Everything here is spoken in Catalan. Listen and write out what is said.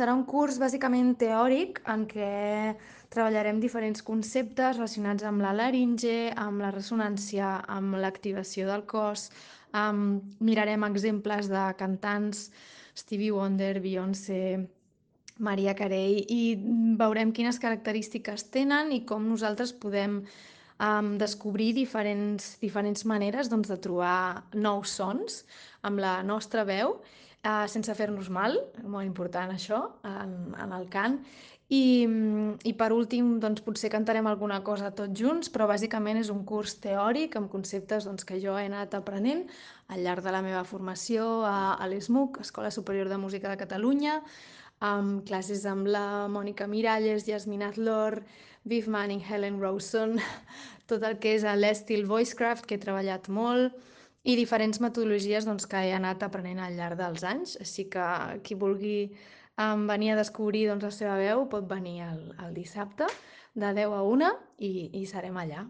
Serà un curs bàsicament teòric en què treballarem diferents conceptes relacionats amb la laringe, amb la ressonància, amb l'activació del cos, mirarem exemples de cantants, Stevie Wonder, Beyoncé, Mariah Carey, i veurem quines característiques tenen i com nosaltres podem descobrir diferents maneres doncs, de trobar nous sons amb la nostra veu, sense fer-nos mal, molt important això, en el cant. I per últim, doncs, potser cantarem alguna cosa tots junts, però bàsicament és un curs teòric amb conceptes doncs, que jo he anat aprenent al llarg de la meva formació a l'ESMUC, Escola Superior de Música de Catalunya, amb classes amb la Mònica Miralles, Yasmin Azlor, Viv Manning, Helen Rawson, tot el que és l'Estil Voicecraft, que he treballat molt, i diferents metodologies doncs, que he anat aprenent al llarg dels anys. Així que qui vulgui venir a descobrir doncs, la seva veu pot venir el dissabte de 10 a 1 i serem allà.